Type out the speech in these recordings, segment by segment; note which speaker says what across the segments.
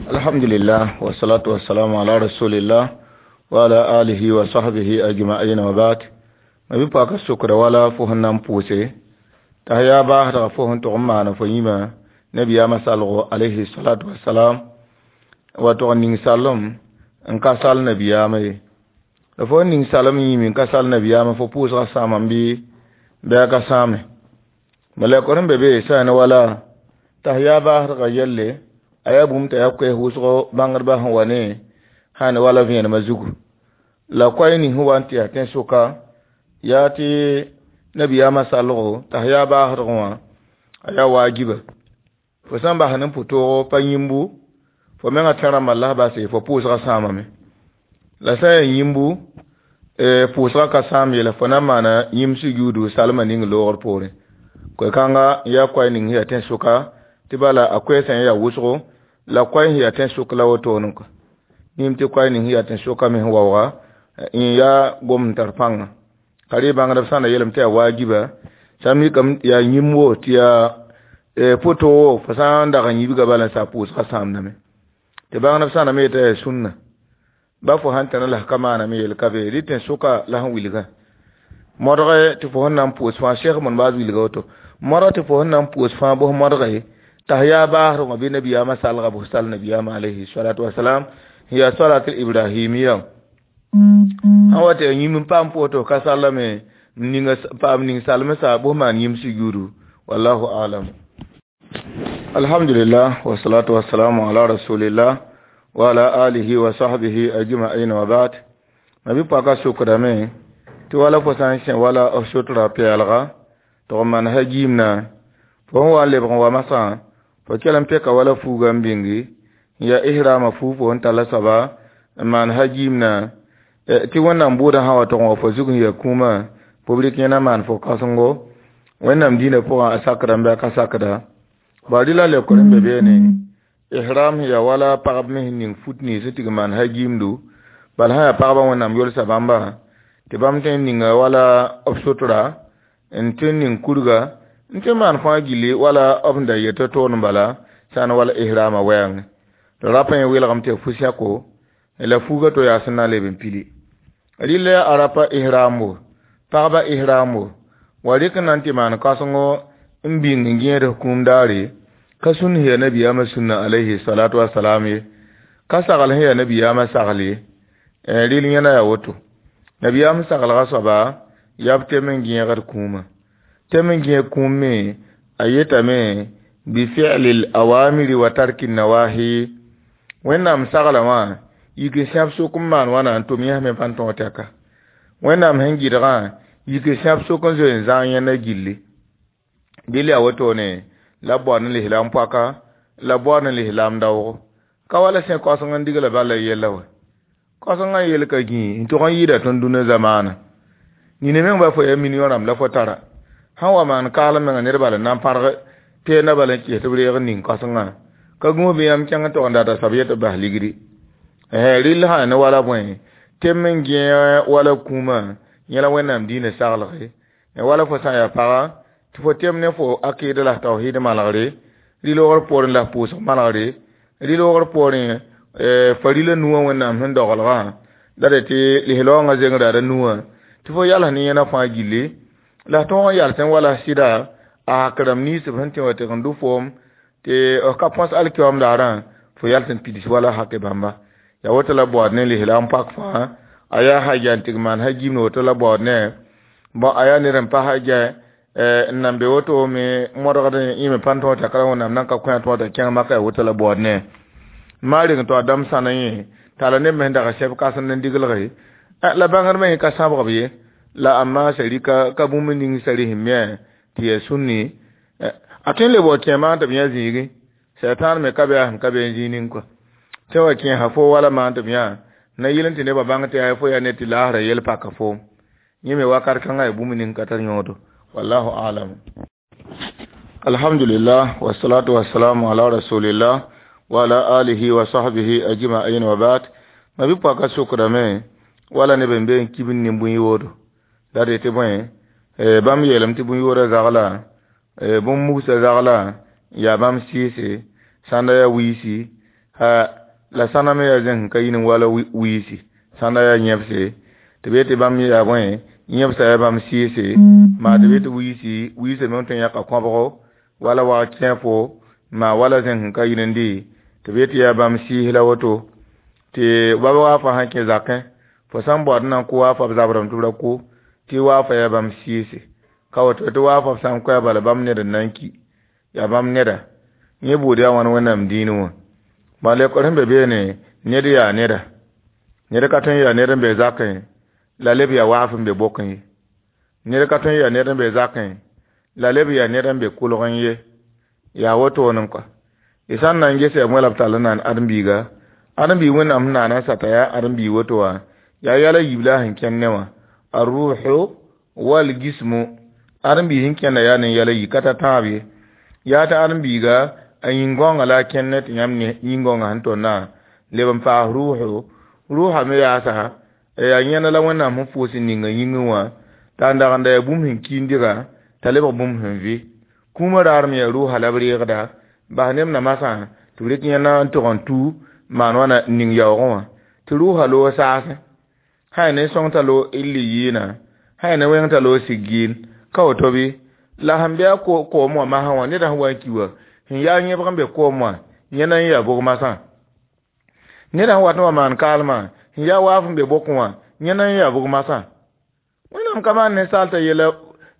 Speaker 1: Alhamdulillah wa salatu wa salamu ala rasulillah wa ala alihi wa sahbihi ajma'in wa ba'd. Ma bi pa ka sukra wala fo sẽn na n pʋʋse t'a yaa baasdga fo sẽn tʋg n maana fo yĩmã nabiyaamã salgo alayhi salatu wasalam wa tʋg n ning salem n ka sal nabiyaamã ye. La fo n ning salem yĩm n ka sal nabiyaamã fo pʋʋsgã sãamame bɩ bɩ a ka sãame. Malɛkr n be be sã ne wala t'a yaa baasdga yelle a yaa bũmb t'a yaa koɛɛs wʋsgo bãngdbã sẽn wa ne sã ne wala vẽenemã zugu. La koɛɛ ning sẽn wa n tɩ yaa tẽn-sʋka yaa tɩ nabiyaamã salgo t'a yaa baasdgẽ wã a yaa waajiba. Fo sã n bas ne pʋ-toogo pa yĩmbu fo mengã tẽ rãmbã la base fo pʋʋsgã sãamame. La sã n yaa yĩmbu pʋʋsgã ka sãam ye la fo na n maana yĩmb sujuudu salmã ning loogr poorẽ. Koe-kãnga n yaa koɛɛ ning sẽn yaa tẽn-sʋka tɩ bala a koɛɛsã yaa wʋsgo la koɛɛ sẽn yaa tẽn-sʋk la wotone kɔ. Yĩm tɩ koɛɛ ning sẽn yaa tẽn-sʋka me sẽn waooga n yaa gom n tar pãnga. Ka rɩ bãngdb sã n na yeelame tɩ yaa waajiba sã n mikame tɩ yaa yĩmb wo tɩ yaa pʋ-toogo fo sã n dag n yibga bala n sa pʋʋsgã sãamdame. Tɩ bãngdb sã n na me yetɩ yaa sũnna. Ba fo sãn tẽna la f ka maaname yel ka be rɩ tẽn-sʋka la sẽn wilgã. Modge tɩ fo sẽn na n pʋʋs fãa Sheikh Ibn Baz wilga woto. Modg tɩ fo sẽn na n pʋʋs fãa bʋs modge t'a yaa baasdg wã bɩ nabiyaamã salga bʋs sal nabiyaamã alayhi salatu wasalam n yaa salatul ibrahimiya. Sãn wa tɩ yaa yĩmb n paam pʋʋs tɩ f ka sallame n paam ning salmsa bʋs maan yĩmb sujuudu. Wallahu a'lam. Alhamdulillah wa salatu wa salamu ala rasulillah wa ala alihi wa sahbihi ajma'in wa ba'd. Ma bi paka sukrame tɩ wala fo sã n sẽ wala f sotra pɛɛlga tɩ f maan ha giimna fo sẽn wa n lebg n wa masã fo kell n peka wala fuuga n bĩngi n yaa ihrama fuug fo sẽn talla soaba n maan ha giimna tɩ Wẽnnaam bʋʋdã sã wa tʋg n wa fo zug n yaa kũumã fo b rɩk yẽna maan fo kãsengo Wẽnnaam dĩinã pʋgã a sakdame bɩ a ka sakda. Ba rɩla leokr n be beene ihram sẽn yaa wala pagb me sẽn ning fut nins sẽn tɩg n maan ha giimdu bala sã yaa pagba Wẽnnaam yolsa bãmba tɩ bãmb tõe n ninga wala b sotra n tɩ ning kurga n tɩ maan fãa gilli wala b sẽn da yet toon bala sã n wala ihrama wɛɛngẽ. Tɩ rapã yẽ welgame tɩ ya fu-sɛko la fuuga to yaa sẽn na n leb n pili. Rɩla yaa arapa ihrambo pagba ihrambo wa rɩk n na n tɩ maan kãsengo n bĩng n gẽed kũum daare ka sũn sẽn yaa nabiyaamã sũnna alayhi salatu wasalam ye ka sagl sẽn yaa nabiyaamã sagl ye rɩl yẽna yaa woto. Nabiyaam saglga soaba yaa b tem n gẽegd kũumã. Tem n gẽeg kũum me a yetame bi fi'lil awamiri wa tarki nawahi. Wẽnnaam sagla wã yik n sẽb sʋk n maan wãna n tʋm yẽs me pa n tõog tɛka. Wẽnnaam sẽn gɩdgã yik n sẽb sʋk n zoe n zãag yẽnda gilli. Dɩl yaa wotone la b baood n lislaam poaka la b baood n lislaam daoogo. Ka wala sẽ kaoseng n digla bala yella wa. Kaosengã yel ka gĩi n tʋg n yɩɩda tõnd dũnã zamaana. Nina meng ba fo yaa million rãmb la fo tara. Sãn wa maan kaalem menga ned bala n na n pãrg peenda bala n kɩs tɩ b reeg n ning kaosengã ka gũus bɩ yãmb kẽng n tog n data soab yet b bas ligdi. Rɩl sã ne wala bõe tem n gẽe wala kũumã yẽ la Wẽnnaam dĩinã saglge. Wala fo sã n yaa paga tɩ fo tem ne fo akɩɩd la tawhiid malgre rɩ-loogr poorẽ la f pʋʋsg malgre rɩ-loogr poorẽ farila nuwã Wẽnnaam sẽn doglgã la d tɩ lislaoongã zengrã ra nuwã tɩ fo yals ne yẽna fãa gilli la f tõog n yalsẽ wala sɩda a hak rãmb ninsb sẽn tẽ wã tɩg n dʋ foom tɩ f ka põs alkiyoom daarã fo yals n pids wala hake bãmba. Yaa woto la baood ne lislaam pak fãa a yaa haja n tɩg maan ha gimd woto la baood ne bõ a yaa ned n pa haja n nan be woto me modgd yẽ me pa n tõog t'a ka Wẽnnaam nan ka kõ tõog t'a kẽng maka yaa woto la baood ne. Maa reng tɩ a dãmb sãna yẽ t'a la neb me sẽn dag sɛb kãsend n diglge la bãngd me ka sãbg b ye la amma sari ka bũmb ning sari sẽn me tɩ yaa sũnni a tõe n leb wa kẽ maan tɩ b yã zĩigi sɛtaan me ka be a sẽn ka be n zĩig ning kɔa tɩ wa kẽesa fo wala maan tɩ b yã na yɩl n tɩ nebã bãng tɩ yaa fo yaa ned tɩ laasra yel paka foom yẽ me wakat kãngã yaa bũmb ning ka tar yõodo. Wallahu a'lam. Alhamdulillah wa salatu wa salamu ala rasulillah wa ala alihi wa sahbihi ajma'in wa ba'd. Ma bi paka sukrame wala neb n be n kib n nin bũn-yoodo la d tɩ bõe bãmb yeelame tɩ bũn-yoodã zagla bũmb mugsã zagla yaa bãmb sɩɩse sãnda yaa wiisi La sãnda me yaa zẽng sẽn ka yi ne wala wiisi sãnda yaa yẽbse tɩ b yetɩ bãmb yaa bõe yẽbsa yaa bãmb sɩɩse maa tɩ b yetɩ wiisi wiisã me tõe n yãka kõbgo wala wag kẽefo maa wala zẽng sẽn ka yi ne dɩ tɩ b yetɩ yaa bãmb sɩɩs la woto tɩ bab waafa sã kẽ zakẽ fo sã n baood n na n kʋ waafa b zabrame tɩ b ra kʋ tɩ waafa yaa bãmb sɩɩse ka woto tɩ waafa b sã n koɛɛ bala bãmb ned n na n ki yaa bãmb neda yẽ buud yaa wãn Wẽnnaam dĩinẽ wã bala lekor sẽn be beene ned yaa neda ned ka tõe n yaa ned n be zakẽ la leb yaa waaf n be bokẽ ye ned ka tõe n yaa ned n be zakẽ la leb yaa ned n be kolgẽ ye yaa wotone kɔa y sã n na n ges yaa bõe la b tall n naan ãdem-biiga ãdem-biig Wẽnnaam sẽn naana n sata yaa ãdem-biig woto wã yaa yɛla yiib la a sẽn kẽnd ne wã a-ruuhu wal gismu ãdem-biig sẽn kẽnda yaa ne yɛla yi ka ta tãab ye yaa tɩ ãdem-biiga a yĩn-gãongã la a kẽnd ne tɩ yãmb yĩn-gãongã sẽn tonna leb n paas ruuhu ruuha me yaasa yaa yẽnda la Wẽnnaam sẽn foos n ninga yĩngẽ wã t'a n dag n da yaa bũmb sẽn kiindiga t'a lebg bũmb sẽn vɩ kũumã raarem yaa ruuha la b reegda bas neb namasã tɩ b rɩk yẽnda n tog n tu maan wãna n ning yaoogẽ wã tɩ ruuha loog saasẽ sã yaa ne sõng t'a loog l yɩɩna sã yaa ne wẽng t'a loog sig gɩɩn ka woto bɩ la sẽn bɩ a koom wã masã wã neda sẽn wa n ki wã sẽn yaa yẽbg n be koom wã yẽnda n yaa bog masã neda sẽn wat n wa maan kaalmã sẽn yaa waaf n be bokẽ wã yẽnda n yaa bog masã Wẽnnaam ka maan ninsaal t'a yɛla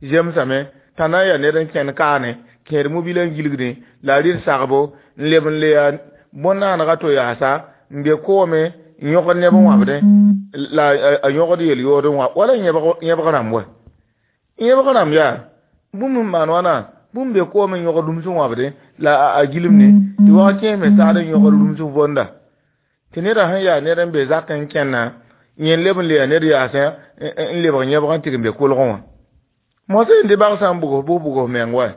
Speaker 1: zemsame t'a na n yaa ned n kẽnd kaane kẽed mobila n gilgdẽ la a rɩd sagbo n leb n le yaa bõn-naanega to yaasa n be koome n yõgd neb n wãbdẽ la a yõgd yel-yood n wã wala yẽbg rãmb wa yẽbg rãmb yaa bũmb n maan wãna bũmb be koome n yõgd rũms n wãbdẽ la a gilmde tɩ wag kẽes me saad n yõgd rũms n vonda tɩ neda sẽn yaa ned n be zakẽ n kẽnna yẽ leb n le yaa ned yaasẽ n lebg yẽbg n tɩg n be kolgẽ wã mosã yẽnd tɩ bag sã n bugs bʋs meng wa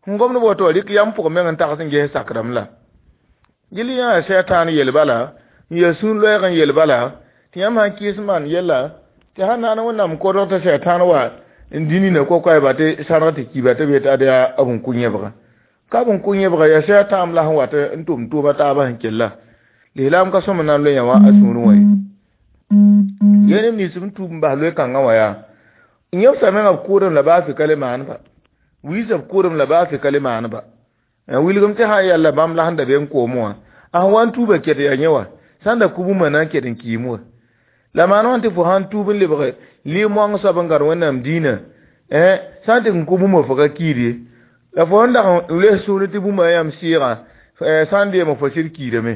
Speaker 1: sẽn gomd woto wã rɩk yam pʋgẽ meng n tags n ges sakrame la gil yã sɛtãan yel bala n yaa sũur loɛɛg n yel bala tɩ yãmb sãn kɩɩs maan yella tɩ sãn naan Wẽnnaam kodg tɩ sɛtãan wa n dĩ nina kokoɛɛba tɩ sãrg tɩ kiba tɩ b yetɩ ad yaa b n kʋ yẽbga ka b n kʋ yẽbga yaa sɛtãam la sẽn wat n tʋm tʋʋma taabã sẽn kella lislaam ka sõm n na n loe yã wã a sũurẽ wã ye yẽ neb nins n tuub n bas loe-kãngã wã yaa yẽbsa menga b kʋʋdem la baasɩ ka le maan ba wiisã b kʋʋdem la baasɩ ka le maan ba wilgem tɩ sã n yɛlla bãmb la sẽn da be n koom wã a sẽn wa n tuubã ket yaa yẽ wã sã n da kʋ bũmba na n ket n kiim wã la maan wã tɩ fo sãn tuub n lebg lɩ-moang soab n gãd Wẽnnaam dĩinã sã n tɩ n kʋ bũmba fo ka kiid ye la fo sẽn dag n loes sũurẽ tɩ bũmba yãmb sɩɩgã sã n deeme fo sɩd kiidame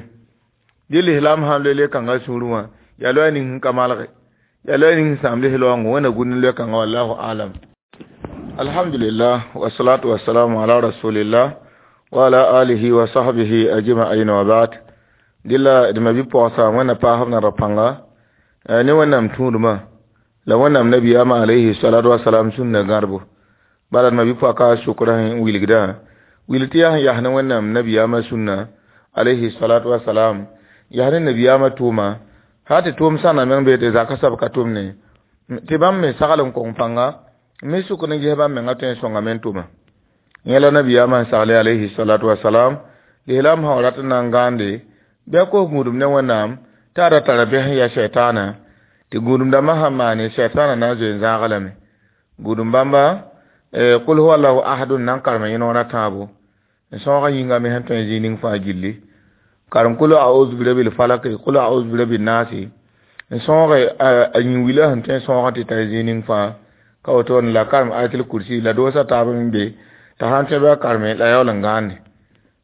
Speaker 1: dɩ lislaam sãn loe le-kãngã sũurẽ wã yaa loɛɛ ning sẽn ka malge yaa loɛɛ ning sẽn sãam lis-laoongo Wẽnna gũud n loe-kãngã wallahu alam. Alhamdulillah wasalatu wasalamu ala rasulillah wa ala alihi wa sahbihi ajma'in wa ba'd dɩla d ma bi-pɔgsa Wẽnna paasb na ra-pãnga ne Wẽnnaam tũudmã la Wẽnnaam nabiyaamã alayhi salatu wasalam sũnna gãdbo bala d ma bi-pɔka sʋkrã n wilgdã wil tɩ yaa sẽn yas ne Wẽnnaam nabiyaamã sũnna alayhi salatu wasalam yas ne nabiyaamã tʋʋma sã tɩ tʋʋm sãnda meng bee tɩ zaka soab ka tʋmne tɩ bãmb me sagl n kong pãnga me sʋk n ges bãmb menga tõe n sõngame n tʋma yẽ la nabiyaamã n sagle alayhi salatu wasalam lislaam sã wa rat n na n gãande bɩ a kos gũudum ne Wẽnnaam t'a ra tara bɛs n yaa sɛtaana tɩ gũudum dãmbã sãn maane sɛtaana na n zoe n zãag lame gũudum bãmba kul huwa allahu ahadun na n karem yẽ noor a tãabo n sõoga yĩnga me sẽn tõe n zĩig ning fãa gilli karem kul a'udhu bi rabbil falaq kul a'udhu bi rabbin nas n sõoge a yĩn-wila sẽn tõe n sõoga tɩ tara zĩig ning fãa ka woto la karem ayatul kursi la doosa taab n be t'a sãn tõe bɩ a kareme la yaool n gãande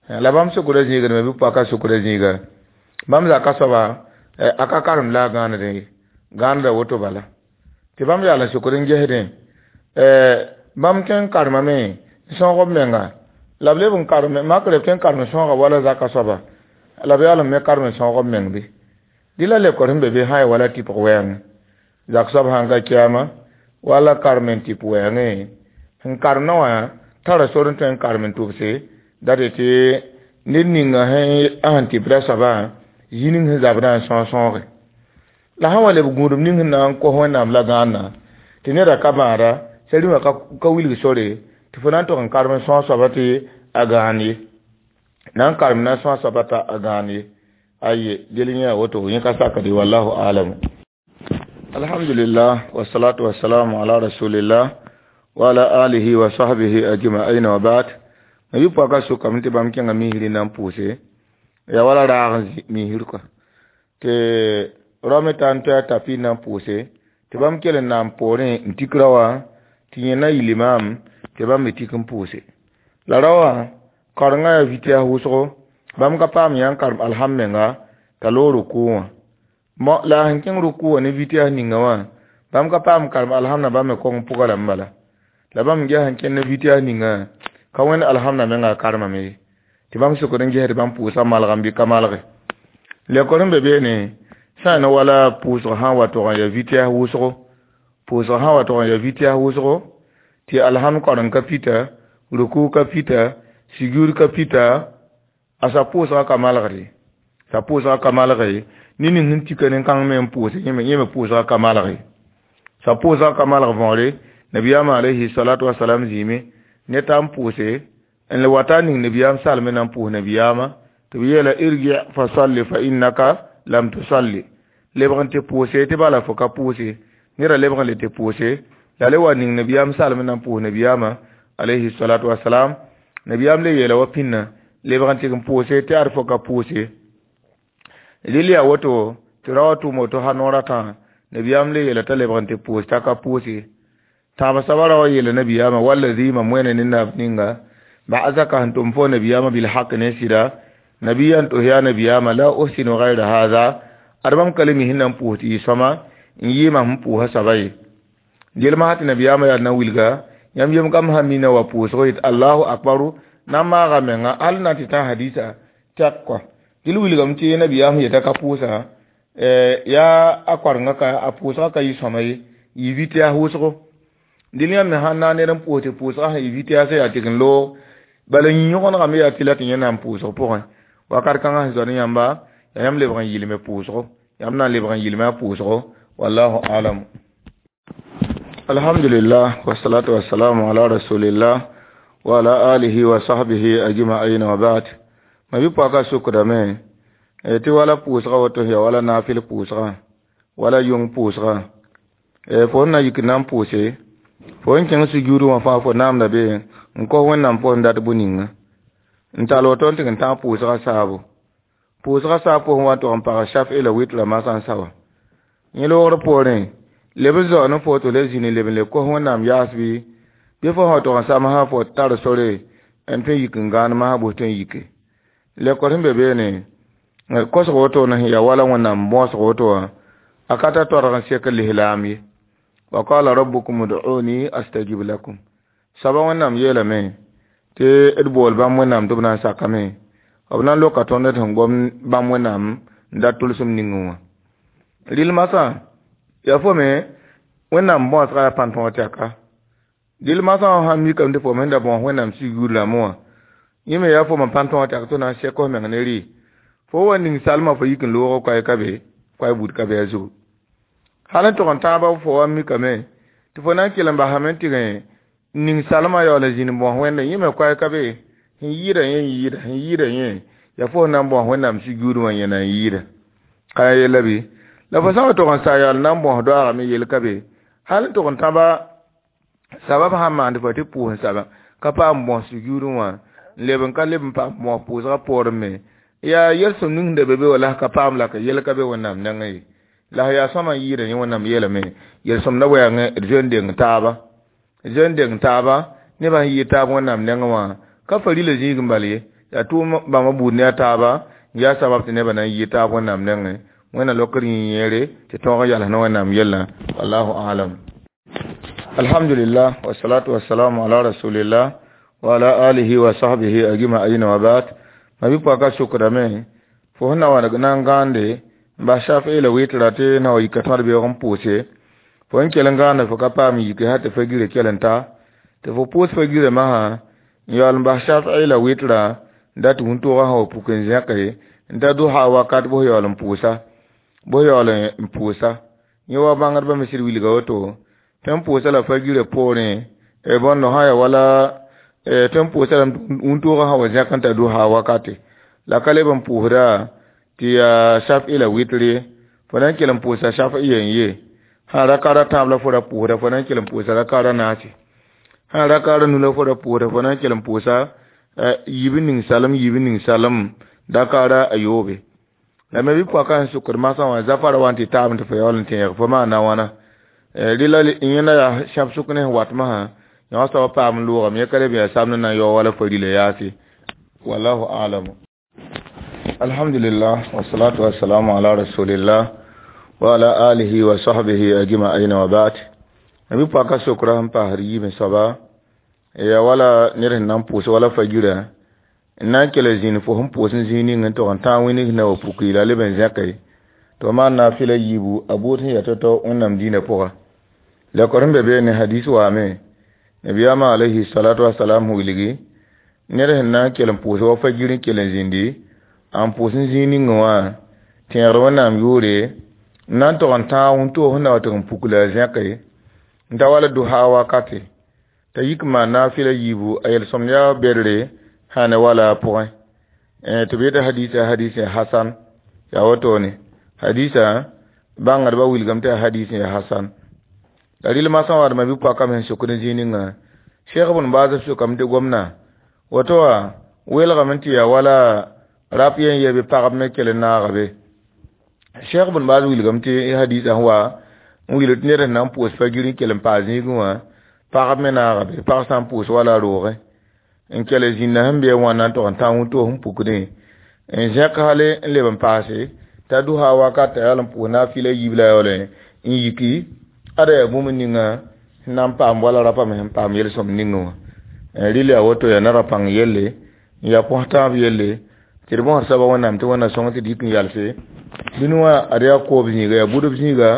Speaker 1: la bãmb sʋkda zĩigdme bɩ paka sʋkda zĩiga bãmb zaka soaba a ka karem la a gãanedẽ ye gãaneda woto bala tɩ bãmb yaal n sʋkd n gesdẽ bãmb tõe n karemame n sõog b menga la b leb n karem makrɛ b tõe n karem sõoga wala zaka soaba la b yaool n me karem n sõog b meng bɩ dɩ la lekor sẽn be be sã n wala tɩpg wɛɛngẽ zak soab sãn ka kiyama wala karem n tɩp wɛɛngẽ sẽn karemdã wã tara sor n tõe n karem n tʋbse dat tɩ ned ninga sẽn tɩpda soabã zĩ ning sẽn zabdã n sõog sõoge la sãn wa leb gũudum ning sẽn na n kos Wẽnnaam la gãanna tɩ neda ka bãada sar-rĩmã ka wilg sore tɩ fo na n tog n karem n sõog soaba tɩ a gãan ye na n karem na n sõog soaba t'a gãan ye Aye del yã woto yẽ ka sakde, wallahu alam. Alhamdulillah, wassalatu wassalamu ala rasulillah wa ala alihi wa sahbihi ajma'in, wa ba'd. Ma yʋ paka sʋkame tɩ bãmb kẽnga misri na n pʋʋse ya wala raag n zĩ misr kɔa tɩ rao me tar n toa tapi na n pʋʋse tɩ bãmb kell n na n poorẽ n tik rao wã tɩ yẽ na yɩ limaam tɩ bãmb me tik n pʋʋse la rao wã karengã yaa vɩtɛs wʋsgo bãmb ka paam yã n karem alham menga t'a loog rukʋ wã la a sẽn kẽng rukʋ wã ne vɩtɛs ninga wã bãmb ka paam karem alhamdã bãmb me kong pʋga lame bala la bãmb ges sẽn kẽnd ne vɩtɛs ninga ka wẽnd alhamdã menga a karemame ye tɩ bãmb sokd n gesd bãmb pʋʋsga malgame bɩ ka malge lekor sẽn be beene sã n wala pʋʋsg sã n wa tog n ya vɩtɛs wʋsgo pʋʋsg sã n wa tog n ya vɩtɛs wʋsgo tɩ alhamd kareng ka pita ruku ka pita sujud ka pita a sa pʋʋsga ka malgde sa pʋʋsga ka malge ne ning sẽn tika nin-kãng me n pʋʋse yẽ me pʋʋsga ka malge sa pʋʋsga ka malg võore nabiyaam alayhi salatu wasalam zĩime ne ta n pʋʋse n le wata ning nabiyaam salme na n pʋʋs nabiyaamã tɩ b yeela irgi fa salli fa innaka lam tusalli lebg n tɩ pʋʋse tɩ bala fo ka pʋʋse neda lebg n le tɩ pʋʋse la le wa ning nabiyaam salme na n pʋʋs nabiyaamã alayhi salatu wasalam nabiyaam le yeela wa pĩnna lebg n tɩ n pʋʋse tɩ ad fo ka pʋʋse rɩl yaa woto tɩ ra wa tʋʋm woto ha noor a tã nabiyaam le yeela t'a lebg n tɩ pʋʋs t'a ka pʋʋse tãab soaba ra wa yeela nabiyaamã wallazi mam wẽna ne nab ninga ba'asaka sẽn tʋm fo nabiyaamã bilhaq ne sɩda nabiyan tɩ yaa nabiyaamã la uhsinu gayra haza ad bãmb ka le mi sẽn na n pʋʋs tɩ yɩ sõma n yɩɩmã sẽn pʋʋsã soaba ye gelmã sã tɩ nabiyaamã yaa na wilga yãmb yem kam sã mina wa pʋʋsg yet allahu akbaru na n maaga menga hal na tɩ tã hadisa tɛk kɔa dɩl wilgame tɩ nabiyaam sẽn yeta ka pʋʋsa yaa a koarengã ka a pʋʋsgã ka yɩ sõma ye yɩ vɩtɛs wʋsgo dɩl yãmb me sãn na n ned n pʋʋs tɩ pʋʋsgã sẽn yɩ vɩtɛs yaa tɩg n loog bala yĩ-yõgenegame yaa tɩ la tɩ yẽ na n pʋʋsg pʋgẽ wakat kãngã sẽn zoa ne yãmba yaa yãmb lebg n yɩlme pʋʋsgo yãmb na n lebg n yɩlme a pʋʋsgo wallahu alam. Alhamdulillah, wassalatu wassalamu ala rasulillah wa ala alihi wa sahbihi ajma'in, wa ba'd. Ma bi paka sukdame tɩ wala pʋʋsga woto ya wala naafɩl pʋʋsga wala yʋng pʋʋsga fo n na yik na n pʋʋse fo n kẽng sujuudẽ wã fãa fo naamda be n kos wẽnnaam pʋs n dat bũ-ninga n tall woto n tɩg n tãag pʋʋsga saabo pʋʋsga saab pʋsẽ wa n tog n pag shaf'i la witra masã n sa wã yẽ loogr poorẽ leb n zao ne fo tɩ le zĩni leb n le kos wẽnnaam yaas bɩ fo sã tog n samsã fo tar sore n tõe n yik n gãan masã bʋs tõe n yike lekor sẽn be beene kosg woto na sẽn yaa wala wẽnnaam bõosg woto wã a ka ta torg n sek lislaam ye wa qala rabbukum ud'uni astajib lakum soaba wẽnnaam yeelame tɩ d bool bãmb wẽnnaam tɩ b na n sakame b na n loka tõnd d sẽn gom bãmb wẽnnaam n dat tʋlsem ningẽ wã rɩl masã yaa fo me wẽnnaam bõosga yaa pãn-tõog tɛka dɩl masã wã sãn mikame tɩ fo me sẽn da bõos wẽnnaam sugr rãmbẽ wã yẽ me yaa fo me pãn-tõog tɛk tɩ na n sɛk f meng ne rɩ fo wa ning salmã fo yik n loog koɛɛ ka be koɛɛ bud ka be a zugu hal n tog n tãaba fo wa mikame tɩ fo na n kell n basame n tɩg ning salmã yaool n zĩnd bõos wẽnde yẽ me koɛɛ ka be sẽn yɩɩda yẽ yɩɩda sẽn yɩɩda yẽ yaa fo na n bõos wẽnnaam sugr wã yẽ na n yɩɩda ka ya yella bɩ la fo sã n wa tog n sa yaool na n bõos doaagame yel ka be hal n tog n tãba sabab sãn maand fo tɩ pʋʋs n saba ka paam bõos sugr wã n leb n ka leb n paam bõos pʋʋsgã poorẽ me yaa yel-sõm ning da be be wa la ka paam la ka yel ka be wẽnnaam nengẽ ye la yaa sõma n yɩɩda yẽ wẽnnaam yeelame yel-sõmda wɛɛngẽ d zoe n deng taaba zoe n deng taaba nebã sẽn yɩɩ taab wẽnnaam nengẽ wã ka farila zĩig n bal ye yaa tʋʋm bãmba buud ne a taaba n yaa sabab tɩ nebã na n yɩ taab wẽnnaam nengẽ wẽnna lokr yĩ yẽere tɩ tõog n yals ne wẽnnaam yellã wallahu alam. Alhamdulillah, wassalatu wassalamu ala rasulillah wa ala alihi wa sahbihi ajma'in, wa ba'd. Ma bi paka sukdame fo sẽn na wa na n gãande n bas shaf'i la witra tɩ na wa yika tõd beoog n pʋʋse fo n kell n gãande fo ka paam yike sã tɩ fa gire kell n ta tɩ fo pʋʋs fa girã masã n yaool n bas shaf'i la witra n dat wũntʋʋgã sã wa puk n zẽke n ta duha wakat bʋs yaool n pʋʋsa bʋs yaool n pʋʋsa yẽ wa bãngdbã me sɩd wilga woto tɩ n pʋʋsa la fa girã poorẽ bõndo sã ya wala tɩ n pʋʋsa la wũntʋʋgã sã wa zẽk n ta duha wakate la ka leb n pʋʋsda Tɩ yaa shaf'i la witr ye. Fo na n kell n pʋʋsa shaf'i yen ye. Sã rakaar a tãab la fo ra pʋʋsda, fo na n kell n pʋʋsa rakaar a naase. Sã rakaar a nu la fo ra pʋʋsda, fo na n kell n pʋʋsa yiib n ning salem, yiib n ning salem rakaara a yoobe. La me bɩ pɔka sẽn sʋkd masã wã zafara wa n tɩ taabẽ tɩ fo yaool n tẽeg fo maana wãna. Rɩla yẽnda yaa sãb sʋk ne sẽn wat masã, yõ soab paam n loogame, yẽ ka le bɩ yaa samd n na n yao wala fo rɩla yaase. Wallahu a'lam. Alhamdulillah, wassalatu wassalamu ala rasulillah wa ala alihi wa sahbihi ajma'in wa ba'd. Nabi pɔka sokra sẽn paasd yiibẽ soaba ya wala ned sẽn na n pʋʋs wala fajira n na n kell zĩnd fo sẽn pʋʋs n zĩig ning n tog n tãag wĩnig na wa puki la leb n zẽke tɩ maan naafɩla yiibu a buud sẽn yaa tao-tao Wẽnnaam dĩinã pʋga. La kor sẽn be beene hadis waame nabiyaamã alayhi salatu wasalam wilgi ned sẽn na n kell n pʋʋs wa fajir n kell n zĩndi n pʋʋs n zĩig ningẽ wã tẽegd Wẽnnaam yʋʋre n na n tog n tãag wĩntoog sẽn na wa tɩg n puk la a zẽke n ta wala duha wakate t'a yik n maan naafɩla yiibu a yel-sõmd yaa bedre sã ne wala a pʋgẽ. Tɩ b yeta hadisa hadis hasan yaa wotone hadisa bãngdbã wilgame tɩ yaa hadis ya hasan. La rɩl masã wã d ma-bi-poakame sẽn sokd n zĩig ninga Cheikh Ibn Baz sokame tɩ gomna woto wã welgame tɩ yaa wala rap yen ye bɩ pagb me kell n naaga be. Cheikh Ibn Baz wilgame tɩ hadisa sẽn wa n wilg tɩ ned sẽn na n pʋʋs fajir n kell n paas zĩigẽ wã pagb me naaga be, pag sã n pʋʋs wala a roogẽ n kell zĩnda sẽn be wãnna n tog n tã wĩntoog sẽn pukdẽ n zẽk hale n leb n paase t'a duha wakat t'a yaool n pʋʋs naafɩla yiib la yaool n yiki ada yaa bũmb ninga sẽn na n paam wala rapa me sẽn paam yel-sõmd ningẽ wã. Rɩl yaa woto yaa nara pãng yelle n yaa põs tãab yelle tɩ d bõsd soaba Wẽnnaam tɩ Wẽnna sõng tɩ d yik n yalse dũni wã ad yaa koob zĩiga yaa budb zĩiga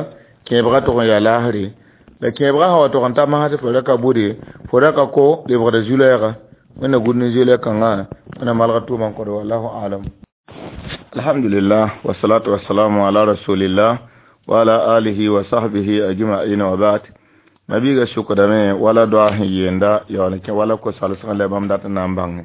Speaker 1: kẽebgã tog n yaa laasre la kẽebgã sã wa tog n ta masd fo ra ka bude fo ra ka ko lebgda zu-lɛɛga. Wẽnna gũud ne zu-lɛɛg-kãngã Wẽnna malgr tʋʋmã n kõd wallahu a'lam. Alhamdulillah, wassalatu wassalamu ala rasulillah wa ala alihi wa sahbihi ajma'in wa ba'd. Mabiiga sʋkdame wala doa sẽn yeenda yaool n kẽ wala ko-salsg la bãmb dat n na n bãnge.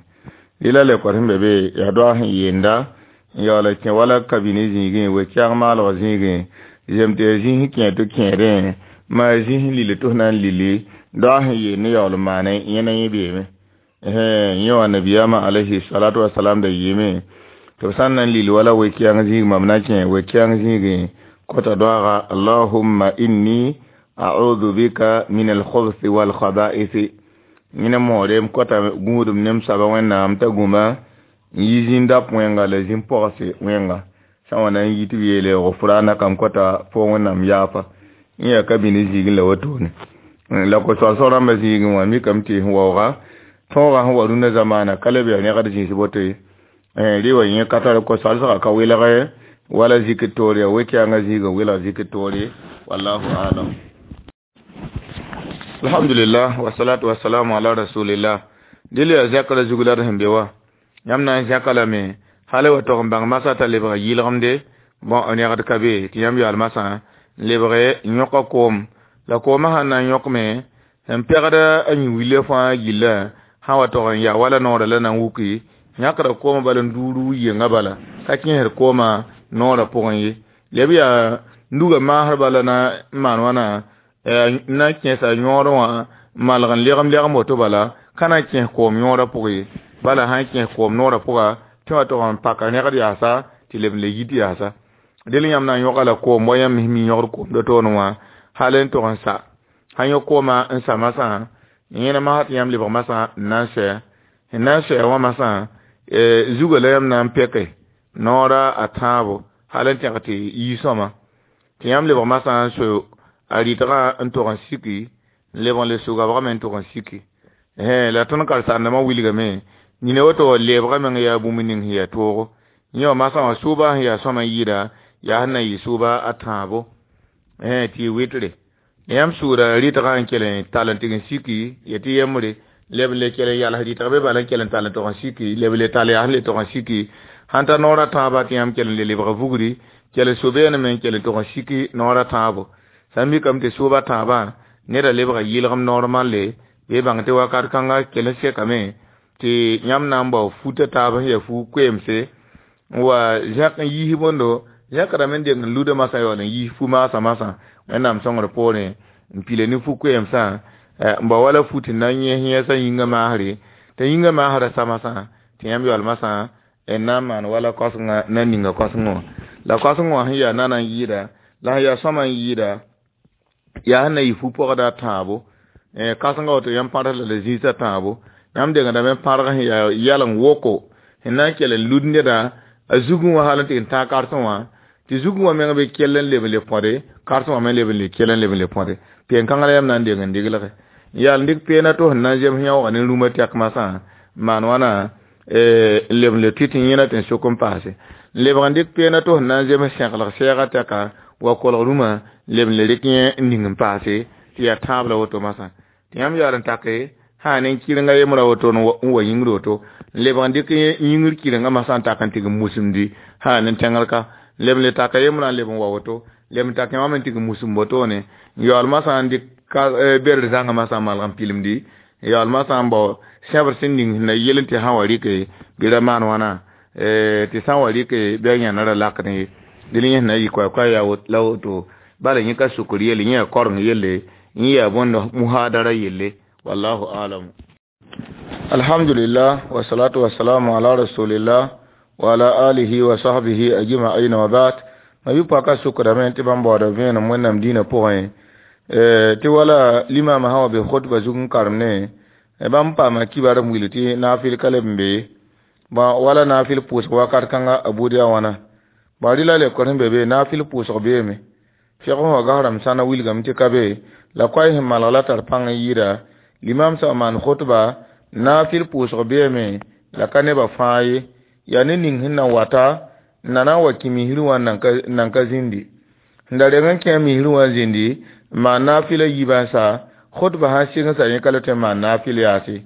Speaker 1: Rɩla le kor sẽn be be yaa doa sẽn yeenda n yaool n kẽ wala kabini zĩigẽ we-kɛɛg maalg zĩigẽ zem tɩ yaa zĩis sẽn kẽ tɩ kẽedẽ maa zĩis sẽn lili tɩ f na n lili doa sẽn yeel ne yaool n maane yẽna yẽ beeme. Yẽ wã nabiyaamã alayhi salatu wasalam da yɩɩme tɩ b sã n na n lil wala we-kɛɛng zĩig mam na kẽ we-kɛɛng zĩigẽ kota doaga allahumma inni a'udhu bika min al-khubthi wal khaba'ith. Yẽne moore m kota gũudum ne m soaba Wẽnnaam t'a gũma n yi zĩn-dap wẽnga la zĩn-pɔgse wẽnga sã n wa na n yi tɩ b yeele gufranaka m kota fo Wẽnnaam yaafa yẽ yaa ka bini zĩigẽ la wotone. La ko-soalsg rãmbã zĩigẽ wã mikame tɩ sẽn waooga tõogã sẽn wa rũndã zamaana ka le b yaa rẽgd zĩis boto ye. Rɩ wa yẽ ka tar ko-soalsgã ka welge wala zikr toore yaa we-kɛɛngã zĩigã welg zikr toore wallahu a'lam. Alhamdulillah, wassalatu wassalamu ala rasulillah. Dɩl yaa zɛkra zug la d sẽn be wã yãmb na n zẽka lame hal wa tog n bãng masã t'a lebg yɩlgemde bõn rẽgd ka be tɩ yãmb yaool masã n lebg n yõka koom la koomã sãn na n yõkme sẽn pɛgd a yũ-willa fãa gillã sã wa tog n yaa wala noorã la na n wuki yãkra koomã bala n duur yenga bala ka kẽesd koomã noorã pʋgẽ ye. Leb yaa nuga maasr bala na n maan wãna n na n kẽesa yõodẽ wã n malg n legem legem woto bala ka na n kẽes koom yõodã pʋgẽ ye. Bala sã n kẽes koom noorã pʋga tɩ wã tog n paka rẽgd yaasa tɩ leb n le yit yaasa. Dẽl yãmb na n yõga la koom wa yãmb mi yõgd koom do-toonẽ wã hal n tog n sa sãn yõ koomã n sa masã yẽna masã tɩ yãmb lebg masã n na n sɛ n na n sɛ wã masã zugã la yãmb na n pɛke noora a tãabo hal n tẽg tɩ yi sõma tɩ yãmb lebg masã n so a rɩtgã n tog n siki n lebg n le sʋgabgame n tog n siki. La tõnd karen-saandãmbã wilgame nina woto leebgã meng yaa bũmb ning sẽn yaa toogo yẽ wã masã wã sʋʋba sẽn yaa sõma n yɩɩda yaa sẽn na n yɩ sʋʋba a tãabo tɩ y wɩtre. Yãmb sʋʋda rɩtgã n kell n tall n tɩg n siki ya tɩ yembre leb n le kell n yals rɩtg be bala n kell n tall n tog n siki leb n le tall yaa sẽn le tog n siki sãn ta noorã tãabã tɩ yãmb kell n le lebg vugri kell n so-beename n kell n tog n siki noorã tãabo sã n mikame tɩ sʋʋba tãabã neda lebga yɩlgem normalle bɩ bãng tɩ wakat kãnga kell n sekame tɩ yãmb na n bao futa taab sẽn yaa fu koeemse N wa zẽk n yiis bõndo zẽkdame n deng n luda masã yaool n yiis fu-maasã masã Wẽnnaam sõngr poorẽ n pile ne fu-koɛɛmsã n bao wala fu tɩ na n yẽs yẽesã yĩngã maasre t'a yĩngã maasrã sa masã tɩ yãmb yaool masã n na n maan wala kosengã na n ninga kosengã wã la kosengã wã sẽn yaa nana n yɩɩda la sẽn yaa sõma n yɩɩda yaa sẽn na yɩ fu-pɔgda tãabo kãsengã woto yãmb pãrs la la zĩisã tãabo yãmb dengdame n pãrg sẽn yaa yaleng woko sẽn na n kell n lud neda a zugẽ wã hal n tɩ n tãag karsẽ wã tɩ zugẽ wã meng bɩ kell n leb n le põde karsẽ wã me leb n le kell n leb n le põde peen-kãngã la yãmb na n deng n deglge n yaal n dɩk peena to sẽn na n zems yãoogã ne rũmã tɛk masã n maan wãna n leb n le tʋ tɩ yẽna tɩ n sok n paase n lebg n dɩk peena to sẽn na n zems sẽglg sɛɛgã tɛka wa kolg rũmã n leb n le rɩk yẽ n ning n paase tɩ yaa tãab la woto masã tɩ yãmb yaool n take sã ne kɩrenga yembrã woto n wa yĩngr woto n lebg n dɩk yĩngr kɩrengã masã n tak n tɩg n musumdi sã ne tẽngr ka n leb n le taka yembrã n leb n wa woto leb n tak wã me n tɩg n musum wotone n yaool masã n dɩk berd zãngã masã n malg n pilemdi n yaool masã n bao sẽbr sẽn ning sẽn na yel n tɩ sã wa rɩke bɩ ra maan wãna tɩ sã n wa rɩke bɩ a yãna ra lakdẽ ye dẽl yẽ sẽn na yɩ koɛɛ-koɛɛ yaa la woto bala yẽ ka sukr yelle yẽ yaa koreng yelle yẽ yaa bõnd muhadara yelle wallahu alam. Alhamdulillah wasalatu wasalamu ala rasulillah wa ala alihi wa sahbihi ajma'in wa ba'd. Ma bi paka sukra men tɩ bãmb baooda vẽenem Wẽnnaam dĩinã pʋgẽ tɩ wala limama sã wa be khutba zug n karem ne bãmb paama kibar n wilg tɩ naafɩl ka leb n be bõ wala naafɩl pʋʋsg wakat kãnga a buud yaa wãna bõ rɩla lekor sẽn be be naafɩl pʋʋsg beeme fɩg sẽn wa gas rãmb sãna wilgame tɩ ka be la koɛɛ sẽn malg la tar pãng n yɩɩda limam sã n maan khutba naafɩl pʋʋsg beeme la ka nebã fãa ye yaa ne ning sẽn na wata n na na n wa kẽ misrẽ wã n nan ka zĩndi sẽn da reng n kẽ misrẽ wã n zĩndi n maan naafɩla yiibã n sa khutba sã n sɩng sa yẽ ka le tõe n maan naafɩl yaase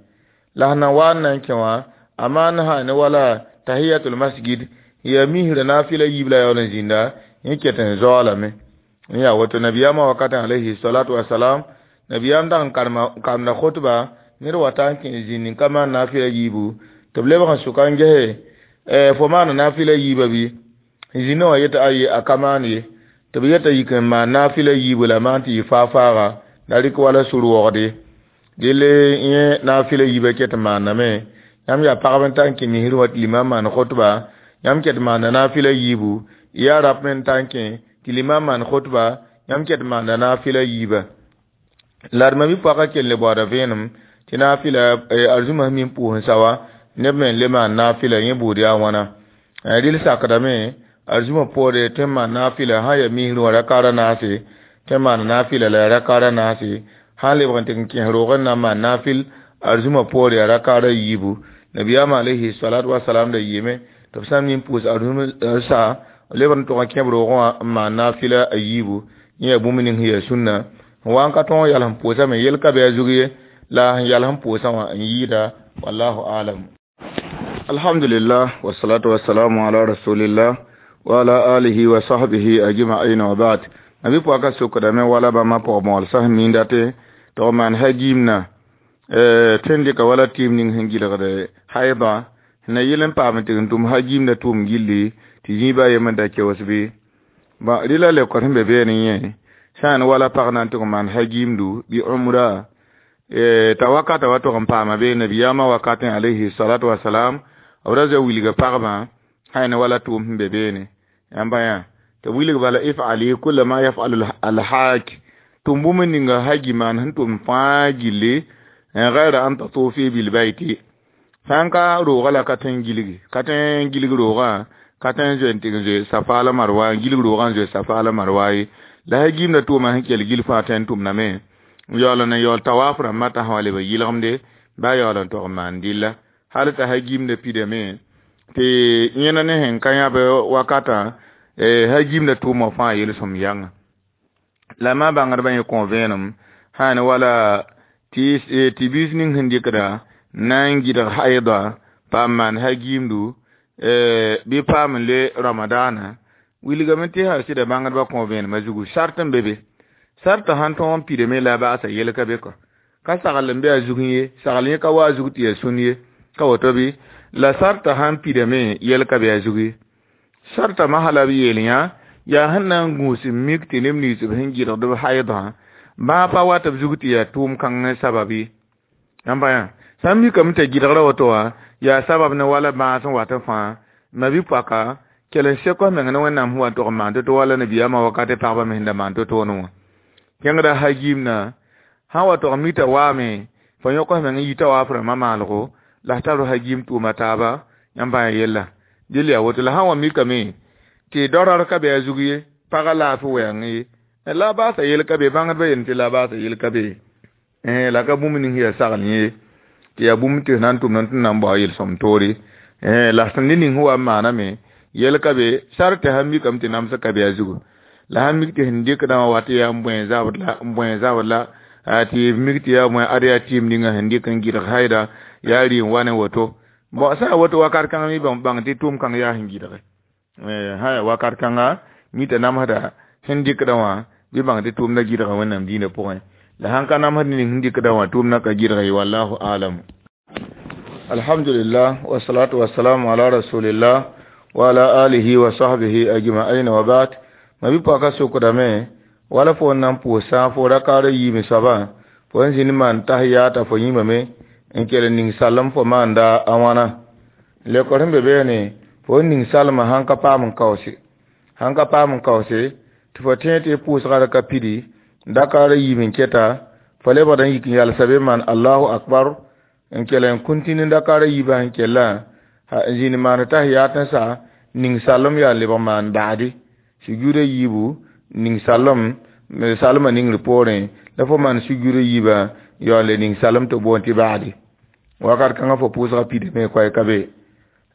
Speaker 1: la sẽn na wa n na n kẽ wã a maan sã ne wala tahiyatul masjid yaa misrã naafɩla yiib la yaool n zĩnda yẽ ket n zaoolame n yaa woto nabiyaamã wakatã alayhi salatu wasalam nabiyaam dag n karemda khutba ned wata n kẽ zĩnd n ka maan naafɩla yiibu tɩ b lebg n sʋka n gese fo maana naafɩla yiibã bɩ zĩndã wã yeta aye a ka maan ye tɩ b yeta yik n maan naafɩla yiibu la maan tɩ yɩ faa-faaga la rɩk wala sur-wogde dɩl yẽ naafɩla yiibã ket n maandame yãmb yaa pagb n ta n kẽ misrẽ wã tɩ limam maan khutba yãmb ket maanda naafɩla yiibu yaa rap me n ta n kẽ tɩ limam maan khutba yãmb ket maanda naafɩla yiibã la d ma bi-poakã kell le baooda vẽenem tɩ naafɩla arzũmã sẽn mi n pʋʋs n sa wa neb me n le maan naafɩla yẽ buud yaa wãna rɩl sakdame arzũmã poore tõe n maan naafɩla sã n yaa misrẽ wã rakaara naase tõe n maana naafɩla la yaa rakaara naase sã n lebg n tɩ n kẽes roog n na n maan naafɩl arzũmã poore yaa rakaara yiibu nabiyaamã alayhi salatu wasalam da yeeme tɩ b sã n mi n pʋʋs arzũmã sa lebg n tʋg n kẽb roogẽ wã n maan naafɩla a yiibu yẽ yaa bũmb ning sẽn yaa sũnna n wa n ka tõog n yals n pʋʋsame yel ka bɩ a zug ye la sẽn yals n pʋʋsã wã n yɩɩda wallahu alam. Alhamdulillah wasalatu wasalamu ala rasulillah wa ala alihi wa sahbihi ajma'in wa ba'd. Nabi pɔka sokdame wala bãmba pʋg mõolsã sẽn minda tɩ tɩ b maan hagiimna tõe n dɩka wala tɩɩm ning sẽn gɩlgd haidã sẽn na yɩl n paam tɩ n tʋm hagiimda tʋʋm gilli tɩ zĩiba a yem n da keoos bɩ bõ rɩla lekor sẽn be beene yẽ sã n wala pag na n tʋg n maan hagiimdu bɩ umra t'a wakata wa tʋg n paama be nabiyaamã wakatẽ alayhi salatu wasalam b ra zoe wilga pagbã sã ne wala tʋʋm sẽn be beene yãmba yã tɩ wilg bala ifali kula ma yafalu alhak tʋm bũmb ninga hagi maan sẽn tʋm fãa gilli gayra an tatufi bilbayti sã n ka roogã la ka tõe n gilgi ka tõe n gilg roogã ka tõe n zoe n tɩg n zoe safa la marwa n gilg roogã n zoe safa la marwa ye la hagiimda tʋʋmã sẽn kell gil fãa tõe n tʋmdame n yaool n yaool tawaf rãmbã t'a sã wa leb n yɩlgemde ba yaool n tog n maan dɩlla hal t'a hagiimda pidame tɩ yẽna ne sẽn ka yãb wakatã hagiimda tʋʋmã fãa yelsem yãnga la ma bãngdbã yẽ kõ vẽenem sã ne wala tɩ biis ning sẽn dɩkda na n gɩdg haida paam maan hagiimdu bɩ paam n le ramadaana wilgame tɩ sã sɩda bãngdbã kõ vẽenemã zugu sart n be be sartã sãn tõog n pidame la a baasa yel ka be kɔ ka sagl n be a zugẽ ye sagl yẽ ka wa a zug tɩ yaa sũn ye ka woto bɩ la sartã sãn pidame yel ka be a zug ye Sarta mahala b yeel yã yaa sẽn na n gũus n mik tɩ neb nins b sẽn gɩdgd b haydã bãa pa wat b zug tɩ yaa tʋʋm kãng sabab ye. Yãmb yã sã n mikame t'a gɩdgra woto wã yaa sabab ne wala bãas n wat n fãa mabi-poaka kell n sek f meng ne Wẽnnaam sẽn wa n tog n maan to-to wala nabiyaamã wakate pagba me sẽn da maan to-toone wã. Kẽngda hagiimna sã n wa tog n mik t'a waame fo yõk f meng n yita wa f rãmbã maalgo la f tar hagiim tʋʋma taaba yãmb bãa yella dɩl yaa woto la sã n wa mikame tɩ dorar ka be a zug ye pagã laafɩ wɛɛng ye la a baasa yel ka be bãngdbã yel tɩ la a baasa yel ka be la ka bũmb ning yaa sagl yẽ tɩ yaa bũmb tɩ f na n tʋmd tɩ na n bao yel-sõm toore la sẽn ne ning sẽn wa n maaname yel ka be sar tɩ sãn mikame tɩ namsg ka be a zugu la sãn mik tɩ sẽn dɩkdã wã wat yaa n bõe zabd la n bõe zabd la tɩ mik tɩ yaa bõe ad yaa tɩɩm ninga sẽn dɩk n gɩdg haida yaa rɩ n wa ne woto bon sã n yaa woto wakat kãng mi bãng tɩ tʋʋm kãng yaa sẽn gɩdge sã yaa wakat kãnga mi t'a namsda sẽn dɩkdã wã bɩ bãng tɩ tʋʋmda gɩdga Wẽnnaam dĩinã pʋgẽ la sãn ka namsd ning sẽn dɩkdã wã tʋʋmdã ka gɩdg ye wallahu alam. Alhamdulillah wassalatu wassalamu ala rasulillah wa ala alihi wa sahbihi ajma'in wa ba'd. Mabi-poaka sokdame wala fo n na n pʋʋs sã fo rakaara yiime soabã fo n zĩnd maan tahiyata fo yĩmame n kell n ning salem fo maanda a wãna lekor sẽn be beene fo n ning salmã sãn ka paam n kaoose sãn ka paam n kaoose tɩ fo tẽe tɩ pʋʋsga ra ka pidi dakaara yiim n keta fo lebgd n yik n yalsa be maan allahu akbar n kell n kuntini dakaara yiibã sẽn kellã n zĩnd maan tahiyat n sa ning salem yaa lebg maan baadi sujuuda yiibu ning salem salmã ningr poorẽ la fo maan sujuuda yiibã yaa le ning salem tɩ boond tɩ baadi wakat kãngã fo pʋʋsga pidame koɛɛ ka be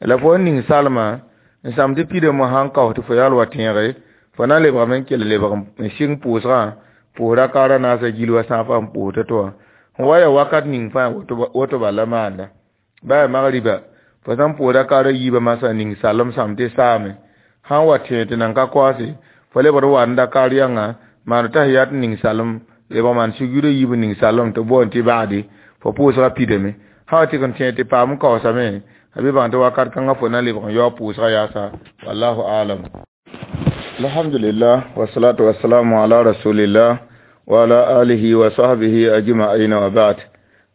Speaker 1: la fo n ning salmã n sãm tɩ pidame sãn kaoos tɩ fo yaal wa tẽege fo na n lebgame n kell lebg n sɩng pʋʋsgã pʋʋs rakaara naasã gil wa sã n fa n pʋʋs to-to wã sẽn wa yaa wakat ning fãa woto bala la maanda ba yaa magriba fo sã n pʋʋs rakaara yiibã masã ning salem sãm tɩ saame sãn wa tẽeg tɩ nan ka koaase fo lebg wa n dakaar yãnga maan tahiyat ning salem lebg maan sujuuda yiib ning salem tɩ boond tɩ baadi fo pʋʋsga pidame sã wa tɩg n tẽeg tɩ paam n kaoosame a bɩ bãng tɩ wakat kãngã fo na lebg n yaoog pʋʋsga yaasa wallahu alam. Alhamdulillah wassalatu wassalamu ala rasulillah wa ala alihi wa sahbihi ajma'in wa ba'd.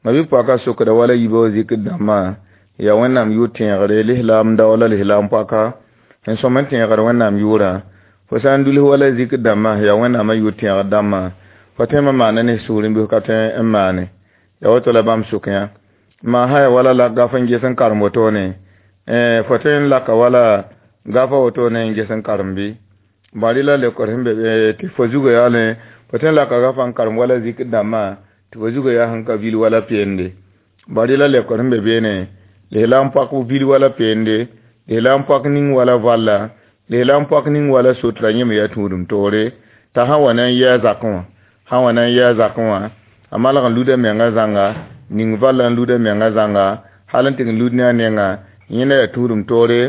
Speaker 1: Mabi-poaka sokda wala yiibã wa zikr dãmbã yaa Wẽnnaam yʋʋr tẽegre lislaam da wala lislaam poaka sẽn sõm n tẽegr Wẽnnaam yʋʋrã fo sã n duls wala zikr dãmbã yaa Wẽnnaamã yʋʋr tẽegr dãmbã fo tõe n maana ne sugr n bɩ ka tõe n maane yaa woto la bãmb sʋk yã maa sã yaa wala la gaf n ges n karem wotone fo tõe n laka wala gafa wotone n ges n karem bɩ bari la lekor sẽn be tɩ fo zugã yaa ne fo tõe n laka gafa n karem wala zikr dãmbã tɩ fo zugã yaa sẽn ka vil wala peende bari la lekor sẽn be beene lislaam poak vil wala peende lislaam poak ning wala valla lislaam poak ning wala sotra yẽme yaa tũudum toore t'a sã wa na n yɩ a zakẽ wã sã wa na n yɩ a zakẽ wã a malg n luda menga zãnga ning valla n luda menga zãnga hal n tɩg n lud ne a nenga yẽna yaa tũudum toore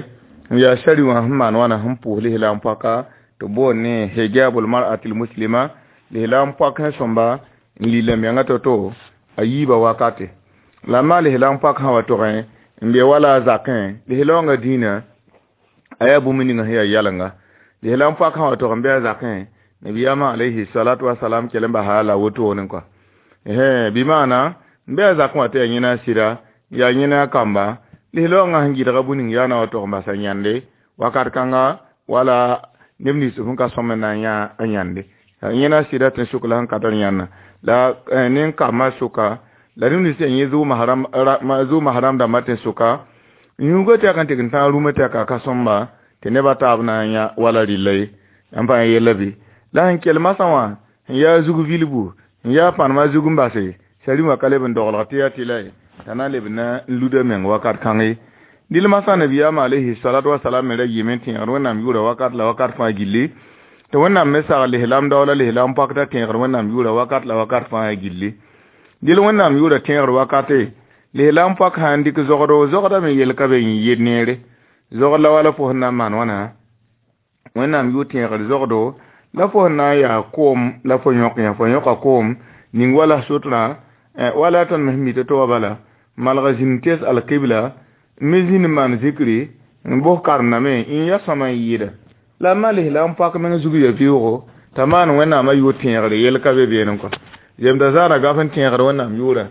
Speaker 1: n yaa sari wã sẽn maan wãna sẽn pʋʋs lislaam poaka tɩ boond ne hijabul mar'atil muslima lislaam poak sẽn sõmba n lila menga to-to a yiibã wakate la maa lislaam poak sã wa togẽ n be wala a zakẽ lislaoongã dĩinã a yaa bũmb ninga sẽn yaa yɛlenga lislaam poak sã wa tog n be a zakẽ nabiyaamã alayhi salatu wasalam kell n basa la wotone kɔa bɩ maana n be a zakẽ wã tɩ yaa yẽna a sɩda yaa yẽna a kamba lislaoongã sẽn gɩdga bũ ning yaa na wa tog n basa yãnde wakat kãnga wala neb nins sẽn ka sõm n na n yã a yãnde yẽna a sɩda tɩ sʋk la sẽn ka tar yãnna la nen kambã sʋka la neb nins yaa yẽ zʋʋ mahram dãmbã tɩ sʋka yũugã tɛk n tɩg n tãag rũmã tɛka ka sõmba tɩ nebã taab na n yã wala rɩlla ye n pa yella bɩ la sẽn kell masã wã sẽn yaa zug vilbu n yaa pãnemã zug n base sari wã ka leb n doglg tɩ yaa tɩ la ye t'a na n leb na n luda meng wakat kãng ye dɩl masã nabiyaamã alayhi salatu wasalam me ra yɩɩme n tẽegd Wẽnnaam yʋʋra wakat la wakat fãa gilli tɩ Wẽnnaam me sagl lislaam daoola lislaam pakda tẽegr Wẽnnaam yʋʋra wakat la wakat fãa gilli dɩl Wẽnnaam yʋʋra tẽegr wakate lislaam pak sã n dɩk zogdo zogda me yel ka be n yet neere zogd la wala fo sẽn na n maan wãna Wẽnnaam yʋʋr tẽegr zogdo la fo sẽn na n yaa koom la fo yõk yã fo yõka koom ning wala sotrã wala tõnd me sẽn mi to-to wã bala malg zĩnd tes alkibla me zĩnd maan zikri N bos karendame n ya sõma n yɩɩda la males la n pak meng zug ya vɩʋʋgo t'a maan wẽnnaamã yʋʋr tẽegre yel ka be beene kɔ yemda zãada gaf n tẽegr wẽnnaam yʋʋra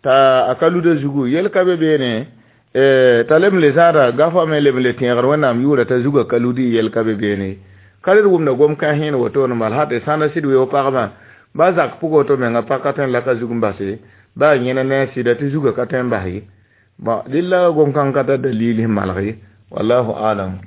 Speaker 1: t'a a ka luda zugu yel ka be beene t'a leb n le zãada gafã me leb n le tẽegr wẽnnaam yʋʋra t'a zugã ka ludi yel ka be beene ka red wʋmda gom kãens yẽen wotone bal ha tɩ sãnda sɩd weoog pagmã ba zak pʋgã woto menga pa ka tõe n la ka zug n base ba yẽna ne a sɩda tɩ zugã ka tõe n bas ye. Bon, dɩlla gom kãng ka tar dalil sẽn malg ye. Wallahu alam.